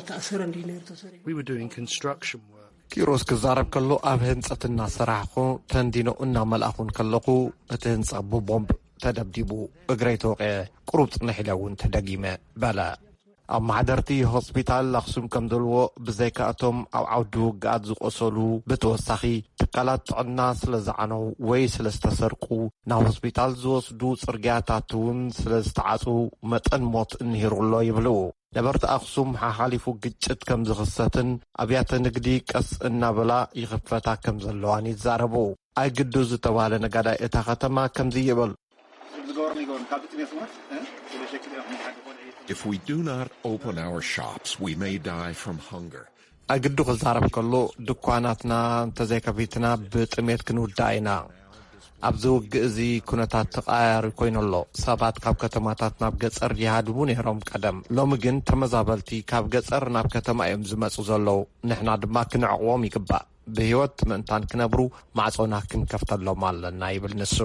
ተኣሰረ እንዲ ነሩ ተሰሪሑ። We were doing construction work. ኪሮስ ክዛረብ ከሎ ኣብ ህንጸት እናሰራሕኹ ተንዲኖ እናመልኣኹን ከለኹ እቲ ህንጻ ብቦምብ ተደብዲቡ እግረይ ተወቒዐ ቁሩብ ጽንሕ ኢለ እውን ተደጊመ በለ። ኣመሓደርቲ ሆስፒታል ኣኽሱም ከም ዝብልዎ፣ ብዘይካ'ቶም ኣብ ዓውዲ ውግኣት ዝቖሰሉ፣ ብተወሳኺ ትካላት ጥዕና ስለ ዝዓነው ወይ ስለ ዝተሰርቁ፣ ናብ ሆስፒታል ዝወስዱ ጽርግያታት እውን ስለ ዝተዓጹ፣ መጠን ሞት እንሂሩ ኣሎ ይብሉ። ነበርቲ ኣኽሱም፣ ሓሓሊፉ ግጭት ከም ዝኽሰትን ኣብያተ ንግዲ ቀስ እናበላ ይኽፈታ ከም ዘለዋን ይዛረቡ። ኣይግዱ ዝተባህለ ነጋዳይ እታ ከተማ ከምዚ ይብል። If we do not open our shops, we may die from hunger. ኣግዱ ክዛረብ ከሎ፣ ድኳናትና እንተዘይከፊትና ብጥሜት ክንውዳእ ኢና። ኣብዚ ውግእ እዚ ኩነታት ተቐያያሪ ኮይኑ ኣሎ። ሰባት ካብ ከተማታት ናብ ገጸር ይሃድሙ ነይሮም ቀደም። ሎሚ ግን ተመዛበልቲ ካብ ገጸር ናብ ከተማ እዮም ዝመጹ ዘለዉ። ንሕና ድማ ክንዕቕቦም ይግባእ። ብህይወት ምእንታን ክነብሩ ማዕጾና ክንከፍተሎም ኣለና ይብል ንሱ።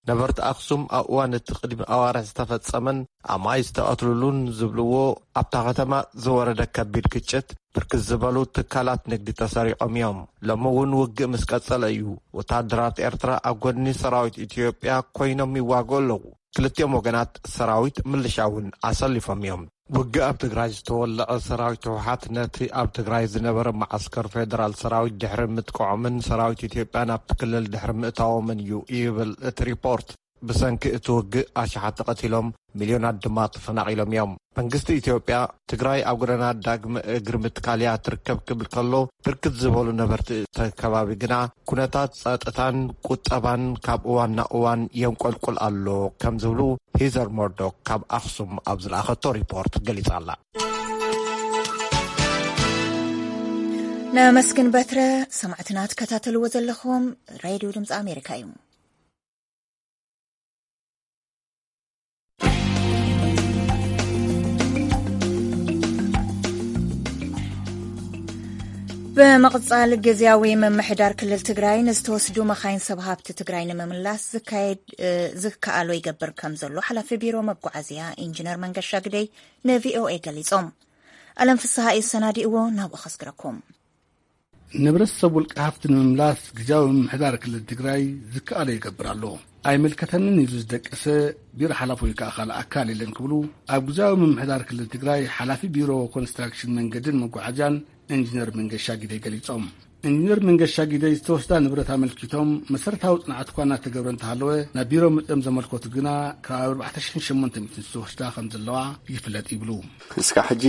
ነበርቲ ኣኽሱም ኣብ እዋን እቲ ቅድሚ ኣዋርሕ ዝተፈጸመን ኣማይ ዝተቐትልሉን ዝብልዎ ኣብታ ከተማ ዝወረደ ከቢድ ግጭት ብርክት ዝበሉ ትካላት ንግዲ ተሰሪቖም እዮም። ሎሚ እውን ውግእ ምስ ቀጸለ እዩ ወታደራት ኤርትራ ኣብ ጎድኒ ሰራዊት ኢትዮጵያ ኮይኖም ይዋግኡ ኣለዉ። ክልቲኦም ወገናት ሰራዊት ምልሻ እውን ኣሰሊፎም እዮም። ውግእ ኣብ ትግራይ ዝተወለዐ ሰራዊት ህወሓት ነቲ ኣብ ትግራይ ዝነበረ መዓስከር ፌደራል ሰራዊት ድሕሪ ምጥቅዖምን ሰራዊት ኢትዮጵያ ናብቲ ክልል ድሕሪ ምእታዎምን እዩ ይብል እቲ ሪፖርት። ብሰንኪ እቲ ውግእ ኣሽሓት ተቐቲሎም፣ ሚልዮናት ድማ ተፈናቒሎም እዮም። መንግስቲ ኢትዮጵያ፣ ትግራይ ኣብ ጎደና ዳግመ እግሪ ምትካል እያ ትርከብ ክብል ከሎ፣ ብርክት ዝበሉ ነበርቲ እቲ ከባቢ ግና፣ ኩነታት ጸጥታን ቁጠባን ካብ እዋን ናብ እዋን የንቆልቁል ኣሎ ከም ዝብሉ ሂዘር ሞርዶክ ካብ ኣኽሱም ኣብ ዝለኣኸቶ ሪፖርት ገሊጻ ኣላ። ነመስግን በትረ። ሰማዕትና ትከታተልዎ ዘለኹም ሬድዮ ድምፂ ኣሜሪካ እዩ። ብምቕጻል፣ ግዝያዊ ምምሕዳር ክልል ትግራይ ንዝተወስዱ መኻይን ሰብ ሃብቲ ትግራይ ንምምላስ ዝካየድ፣ እ፣ ዝከኣሎ ይገብር ከም ዘሎ ሓላፊ ቢሮ መጓዓዝያ ኢንጂነር መንገሻ ግደይ ንቪኦኤ ገሊጾም። ኣለም ፍስሃ እዩ ሰናዲእዎ፣ ናብኡ ከስግረኩም። ንብረት ሰብ ውልቀ ሃፍቲ ንምምላስ ግዝያዊ ምምሕዳር ክልል ትግራይ ዝከኣሎ ይገብር ኣሎ። ኣይምልከተንን ኢሉ ዝደቀሰ ቢሮ ሓላፊ ወይ ከዓ ካልእ ኣካል የለን ክብሉ ኣብ ግዝያዊ ምምሕዳር ክልል ትግራይ ሓላፊ ቢሮ ኮንስትራክሽን መንገድን መጓዓዝያን ኢንጂነር መንገሻ ጊደይ ገሊጾም። ኢንጂነር መንገሻ ጊደይ ዝተወስዳ ንብረት ኣመልኪቶም መሰረታዊ ጽንዓት እኳ እናተገብረ እንተሃለወ፣ ናብ ቢሮ መጺኦም ዘመልከቱ ግና ካብ ኣርባዕተ ሽሕን ሸሞንተ ሚእትን ዝተወስዳ ከም ዘለዋ ይፍለጥ ይብሉ። እስካብ ሕጂ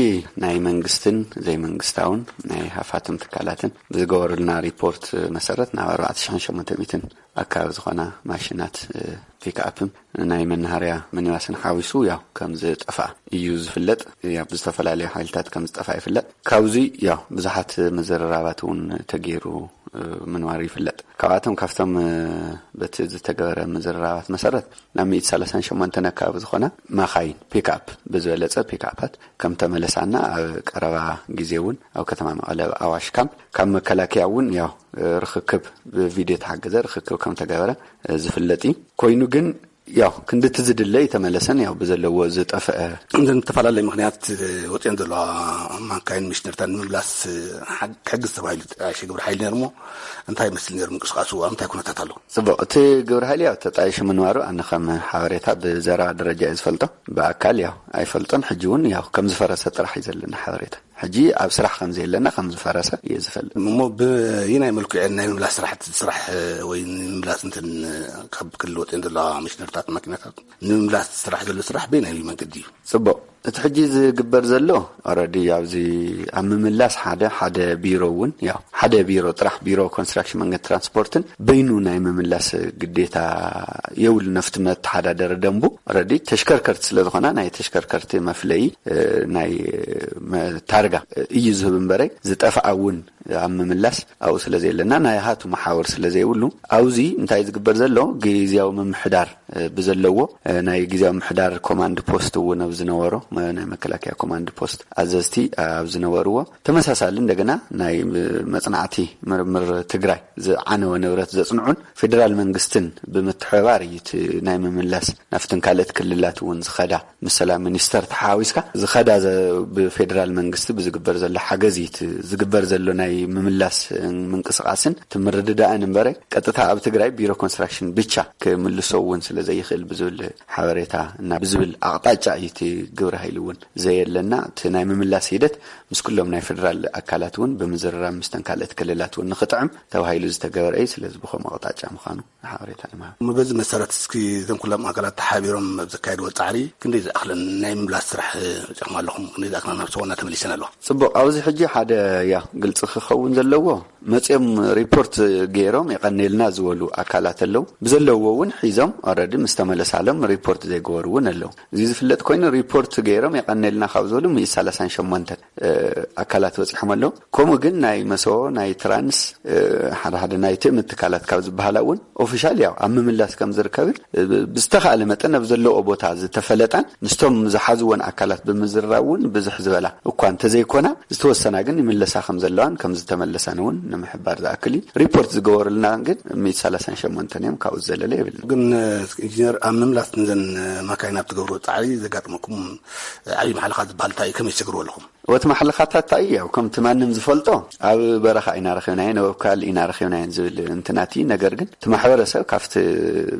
ናይ መንግስትን ዘይመንግስታውን ናይ ሃፋትም ትካላትን ብዝገበሩልና ሪፖርት መሰረት ናብ ኣርባዕተ ሽሕን ሸሞንተ ሚእትን ኣካባቢ ዝኾና ማሽናት፣ እ፣ ፒክኣፕን ናይ መናሃርያ ሚኒባስን ሓዊሱ ያው ከም ዝጠፍኣ እዩ ዝፍለጥ። ያው ብዝተፈላለዩ ሓይልታት ከም ዝጠፍኣ ይፍለጥ። ካብዚ ያው ብዙሓት ምዝርራባት እውን ተገይሩ፣ እ፣ ምንባሩ ይፍለጥ። ካብኣቶም ካብቶም፣ እ፣ በቲ ዝተገበረ ምዝርራባት መሰረት ናብ ሚእቲ ሰላሳን ሸሞንተን ኣካባቢ ዝኾና ማኻይን ፒክኣፕ ብዝበለጸ ፒክኣፓት ከም ተመለሳና ኣብ ቀረባ ግዜ እውን ኣብ ከተማ መቐለ ኣብ ኣዋሽ ካምፕ ካብ መከላከያ እውን ያው ርኽክብ ብቪድዮ ተሓገዘ ርኽክብ ከም ተገበረ ዝፍለጥ እዩ። ኮይኑ ግን ያው ክንድቲ ዝድለ ይተመለሰን ያው ብዘለዎ ዝጠፍአ እንተን ዝተፈላለየ ምኽንያት ወፅየን ዘለዋ ማካይን ሚሽነርታት ንምምላስ ሓ-፣ ክሕግዝ ተባሂሉ ተጣየሸ ግብረ ሓይሊ ነይሩ እሞ እንታይ ይመስል ነይሩ ምንቅስቃሱ? ኣብ እንታይ ኩነታት ኣሎ? ጽቡቕ፣ እቲ ግብረ ሓይሊ ያው ተጣይሹ ምንባሩ ኣነ ከም ሓበሬታ ብዘረባ ደረጃ እየ ዝፈልጦ። ብኣካል ያው ኣይፈልጦን። ሕጂ እውን ያው ከም ዝፈረሰ ጥራሕ እዩ ዘለና ሓበሬታ። ሕጂ ኣብ ስራሕ ከም ዘየለና ከም ዝፈረሰ እየ ዝፈልጥ። እሞ ብየናይ መልክዑ ናይ ምምላስ ስራሕቲ ዝስራሕ ወይ ንምምላስ እንትን ካብ ክልል ወፅየን ዘለዋ ሚሽነርታት ማኪናታት ንምምላስ ዝስራሕ ዘሎ ስራሕ በየናይ መንገዲ እዩ? ጽቡቕ። እቲ ሕጂ ዝግበር ዘሎ ኦረዲ ኣብዚ ኣብ ምምላስ ሓደ፣ ሓደ ቢሮ እውን ያው ሓደ ቢሮ ጥራሕ ቢሮ ኮንስትራክሽን መንገድ ትራንስፖርትን በይኑ ናይ ምምላስ ግዴታ የብሉ። ነፍቲ መተሓዳደሪ ደንቡ ኦረዲ ተሽከርከርቲ ስለ ዝኾና ናይ ተሽከርከርቲ መፍለዪ፣ እ፣ ናይ፣ እ፣ መ-፣ ታርጋ እዩ ዝህብ እምበረይ ዝጠፍኣ እውን ኣብ ምምላስ ኣብኡ ስለ ዘየለና ናይ ሃቱ መሓውር ስለ ዘይብሉ ኣብዚ እንታይ ዝግበር ዘሎ ግዝያዊ ምምሕዳር እ፣ ብዘለዎ፣ እ፣ ናይ ግዝያዊ ምሕዳር ኮማንድ ፖስት እውን ኣብ ዝነበሮ፣ መ-፣ ናይ መከላከያ ኮማንድ ፖስት ኣዘዝቲ ኣብ ዝነበርዎ፣ ተመሳሳሊ እንደገና ናይ፣ እ፣ መጽናዕቲ ምርምር ትግራይ ዝዓነወ ንብረት ዘጽንዑን ፌደራል መንግስትን ብምትሕብባር እዩ እቲ ናይ ምምላስ ናብተን ካልኦት ክልላት እውን ዝኸዳ ምስ ሰላም ሚኒስተር ተሓዋዊስካ ዝኸዳ ዘ-፣ ብፌደራል መንግስቲ ብዝግበር ዘሎ ሓገዝ እዩ እቲ ዝግበር ዘሎ ናይ ምምላስ ምንቅስቃስን እቲ ምርድዳእን እምበረ ቀጥታ ኣብ ትግራይ ቢሮ ኮንስትራክሽን ብቻ ክምልሶ እውን ስለ ዘይኽእል ብዝብል ሓበሬታ እና ብዝብል ኣቕጣጫ እዩ እቲ ግብረ ኢሉ እውን ዘየለና፣ እቲ ናይ ምምላስ ሂደት ምስ ኩሎም ናይ ፌደራል ኣካላት እውን ብምዝርራብ፣ ምስተን ካልኦት ክልላት እውን ንኽጥዕም ተባሂሉ ዝተገበረ እዩ። ስለዚ ብኸምኡ ኣቕጣጫ ምዃኑ ሓበሬታ ንምሃብ። እሞ በዚ መሰረት፣ እስኪ እዞም ኩሎም ኣካላት ተሓቢሮም ኣብ ዘካየድዎ ጻዕሪ ክንደይ ዝኣኽለን ናይ ምምላስ ስራሕ በጺሕኩም ኣለኹም? ክንደይ ዝኣኽለን ናብ ሰቦና ተመሊሰን ኣለዋ? ጽቡቕ። ኣብዚ ሕጂ ሓደ፣ ያ፣ ግልጺ ክኸውን ዘለዎ፣ መጺኦም ሪፖርት ገይሮም የቐኔልና ዝበሉ ኣካላት ኣለዉ። ብዘለዎ እውን ሒዞም ኦረዲ ምስ ተመለሳሎም ሪፖርት ዘይገበሩ እውን ኣለዉ። እዚ ዝፍለጥ ኮይኑ፣ ሪፖርት ገይሮም የቐኔልና ካብ ዝበሉ ሚእቲ ሰላሳን ሸሞንተን ኣካላት በጺሖም ኣለዉ። ከምኡ ግን ናይ መሰቦ፣ ናይ ትራንስ፣ ሓደ ሓደ ናይ ትእምት ትካላት ካብ ዝበሃላ እውን ኦፊሻል፣ ያው፣ ኣብ ምምላስ ከም ዝርከብን ብዝተኻእለ መጠን ኣብ ዘለዎ ቦታ ዝተፈለጣን ምስቶም ዝሓዝወን ኣካላት ብምዝርራብ እውን ብዝሕ ዝበላ እኳ እንተዘይኮና፣ ዝተወሰና ግን ይምለሳ ከም ዘለዋን ከም ዝተመለሳን እውን ንምሕባር ዝኣክል እዩ። ሪፖርት ዝገበሩልና ግን ሚእቲ ሰላሳን ሸሞንተን እዮም። ካብኡ ዝዘለለ የብልና። ግን ኢንጂነር፣ ኣብ ምምላስ ንዘን ማካይን ኣብ ትገብርዎ ጻዕሪ ዘጋጥመኩም ዓብዪ ማሕለኻ ዝበሃል እንታይ እዩ? ከመይ ትሰግርዎ ኣለኹም? ወቲ ማሕለኻታት እንታይ እዩ? ያው ከምቲ ማንም ዝፈልጦ፣ ኣብ በረኻ ኢና ረኺብናየን፣ ኣብ ካልእ ኢና ረኺብናየን ዝብል እንትናት እዩ። ነገር ግን እቲ ማሕበረሰብ ካብቲ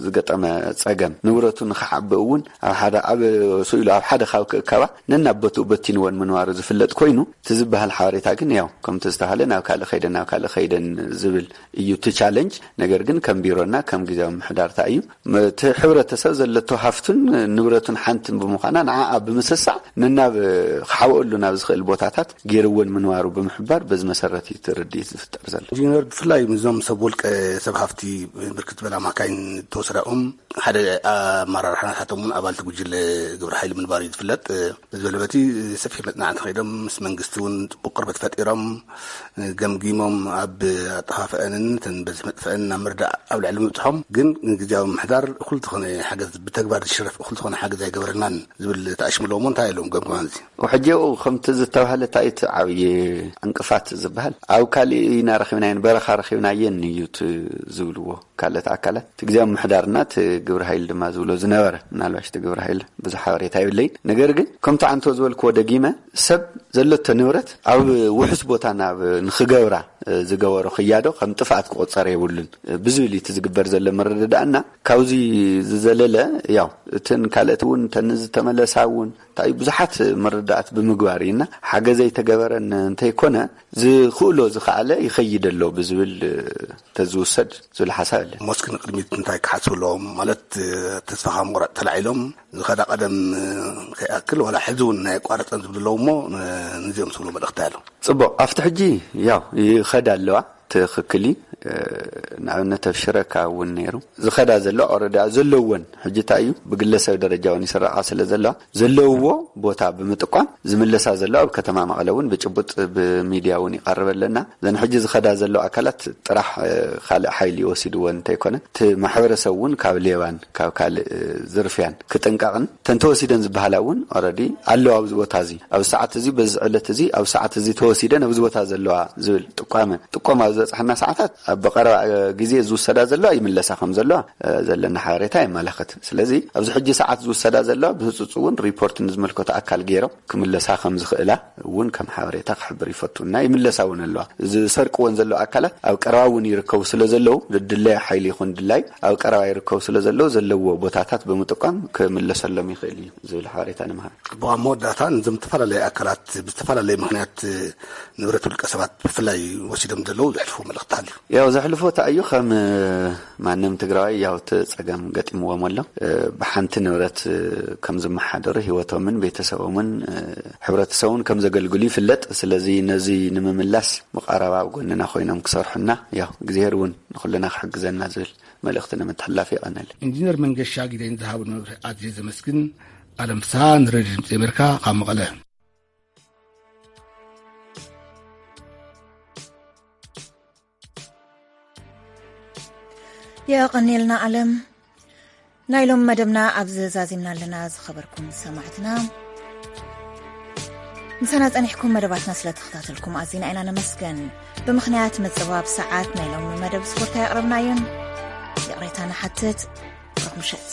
ዝገጠመ ጸገም ንብረቱ ንኽዓቢ እውን ኣብ ሓደ ዓቢ ስኢሉ ኣብ ሓደ ካብ ክእከባ ነናብ ቦትኡ በቲንወን ምንባሩ ዝፍለጥ ኮይኑ፣ እቲ ዝበሃል ሓበሬታ ግን ያው ከምቲ ዝተባህለ ናብ ካልእ ከይደን ናብ ካልእ ከይደን ዝብል እዩ እቲ ቻለንጅ። ነገር ግን ከም ቢሮና ከም ግዜያዊ ምሕዳርታ እዩ፣ እቲ ሕብረተሰብ ዘለቶ ሃፍቱን ንብረቱን ሓንትን ብምዃና ንዓኣ ብምስሳዕ ንናብ ክሓብኣሉ ናብ ዝኽእል ቦታታት ገይርወን ምንባሩ ብምሕባር በዚ መሰረት እዩ እቲ ርድኢት ዝፍጠር ዘሎ። ኢንጂነር፣ ብፍላይ ምስዞም ሰብ ውልቀ ሰብ ሃፍቲ ብርክት ዝበላ ማካይን ተወሰዳኦም ሓደ ኣመራርሓ ናታቶም እውን ኣባልቲ ጉጅለ ግብረ ሓይሊ ምንባሩ እዩ ዝፍለጥ። በዚ በለበቲ ሰፊሕ መጽናዕቲ ከይዶም ምስ መንግስቲ እውን ጽቡቕ ቅርበት ፈጢሮም ገምጊሞም ኣብ ኣጠፋፍአንን እተን በዚ መጥፍአን ናብ ምርዳእ ኣብ ልዕሊ ምብጽሖም ግን ግዜያዊ ምሕዳር እኹል ዝኾነ ሓገዝ ብተግባር ዝሽረፍ እኹል ዝኾነ ሓገዝ ኣይገበረልናን ዝብል ተኣሽሙ ኣለዎ። እንታይ ኣለዎም ገምግማን እዚ? ሕጂ ኣብኡ ከምቲ ዝተባህለ እንታይ እቲ ዓብዪ ዕንቅፋት ዝበሃል ኣብ ካሊእ ኢና ረኺብናየን በረኻ ረኺብናየን እዩ እቲ ዝብልዎ ካልኦት ኣካላት። እቲ ግዜያዊ ምሕዳርና እቲ ግብረ ሓይሊ ድማ ዝብሎ ዝነበረ፣ ምናልባሽ እቲ ግብረ ሓይሊ ብዙሕ ሓበሬታ የብለይን። ነገር ግን ከምቲ ዓንቶ ዝበልክዎ ደጊመ ሰብ ዘለቶ ንብረት ኣብ ውሑስ ቦታ ናብ ንኽገብራ ዝገበሮ ክያዶ ከም ጥፍኣት ክቆጸር የብሉን ብዝብል እዩ እቲ ዝግበር ዘሎ ምርድዳእና። ካብዚ ዝዘለለ ያው እተን ካልኦት እውን እተን ዝተመለሳ እውን እንታይ ብዙሓት ምርዳእት ብምግባር ኢና ሓገዘይ ተገበረን እንተይኮነ ዝኽእሎ ዝኸኣለ ይኸይድ ኣሎ ብዝብል ተዝውሰድ ዝብል ሓሳብ ኣለ። ሞስክ ንቅድሚት እንታይ ክሓስቡ ኣለዎም ማለት ተስፋ ካብ ምቑራፅ ተላዒሎም ዝኸዳ ቀደም ከይኣክል ዋላ ሕዚ እውን ናይ ኣቋረፀን ዝብሉ ኣለዉ እሞ ንዚኦም ስብሎ መልእኽቲ ኣሎ። ጽቡቕ ኣብቲ ሕጂ ያው ይኸዳ ኣለዋ ትኽክል እዩ። ንኣብነት ኣብ ሽረካ እውን ነይሩ ዝኸዳ ዘሎ ኦረዳ ዘለወን ሕጂ እንታይ እዩ ብግለሰብ ደረጃ እውን ይስረቓ ስለ ዘለዋ ዘለውዎ ቦታ ብምጥቋም ዝምለሳ ዘሎ ኣብ ከተማ መቐለ እውን ብጭቡጥ ብሚድያ እውን ይቐርበለና። ዘን ሕጂ ዝኸዳ ዘሎ ኣካላት ጥራሕ ካልእ ሓይሊ ይወሲድዎ እንተይኮነ እቲ ማሕበረሰብ እውን ካብ ሌባን ካብ ካልእ ዝርፍያን ክጥንቀቕን ተንተወሲደን ዝበሃላ እውን ኦረዲ ኣለዋ ኣብዚ ቦታ እዚ ኣብዚ ሰዓት እዚ በዚ ዕለት እዚ ኣብ ሰዓት እዚ ተወሲደን ኣብዚ ቦታ ዘለዋ ዝብል ጥቋመ ጥቆማ ኣብ ዝበፅሓና ሰዓታት ኣብ ብቐረባ ግዜ ዝውሰዳ ዘለዋ ይምለሳ ከም ዘለዋ ዘለና ሓበሬታ የመላኽት። ስለዚ ኣብዚ ሕጂ ሰዓት ዝውሰዳ ዘለዋ ብህፁፅ እውን ሪፖርት ንዝመልከቶ ኣካል ገይሮም ክምለሳ ከም ዝኽእላ እውን ከም ሓበሬታ ክሕብር ይፈቱ እና ይምለሳ እውን ኣለዋ። ዝሰርቅወን ዘለዉ ኣካላት ኣብ ቀረባ እውን ይርከቡ ስለ ዘለዉ ድድለያ ሓይሊ ይኹን ድላይ ኣብ ቀረባ ይርከቡ ስለ ዘለዉ ዘለዎ ቦታታት ብምጥቋም ክምለሰሎም ይኽእል እዩ ዝብል ሓበሬታ ንምሃብ። ብኣ መወዳእታ ንዞም ዝተፈላለዩ ኣካላት ብዝተፈላለየ ምክንያት ንብረት ውልቀ ሰባት ብፍላይ ወሲዶም ዘለዉ ዘሕልፉ መልእኽቲ ኣሎ? ያው ዘሕልፎ እንታይ እዩ ከም ማንም ትግራዋይ ያው እቲ ፀገም ገጢምዎም ኣሎ። ብሓንቲ ንብረት ከም ዝመሓደሩ ህይወቶምን ቤተሰቦምን ሕብረተሰቡን ከም ዘገልግሉ ይፍለጥ። ስለዚ ነዚ ንምምላስ መቓረባ ኣብ ጎንና ኮይኖም ክሰርሑና ያው እግዚኣብሔር እውን ንኩልና ክሕግዘና ዝብል መልእኽቲ ንምትሕላፍ የቐነል። ኢንጂነር መንገሻ ጊደይን ዝሃብን መብርሂ ኣዝየ ዘመስግን። ኣለም ፍስሃ ንሬድዮ ድምፂ ኣሜሪካ ካብ መቐለ። የቐኔልና ኣለም። ናይ ሎም መደብና ኣብዚ ዛዚምና ኣለና። ዝኸበርኩም ሰማዕትና ምሳና ጸኒሕኩም መደባትና ስለ ተኸታተልኩም ኣዚና ኢና ነመስገን። ብምኽንያት ምጽባብ ሰዓት ናይ ሎም መደብ ስፖርት ኣየቕረብናዮን። ይቕሬታ ንሓትት። ሩኽ ምሸት።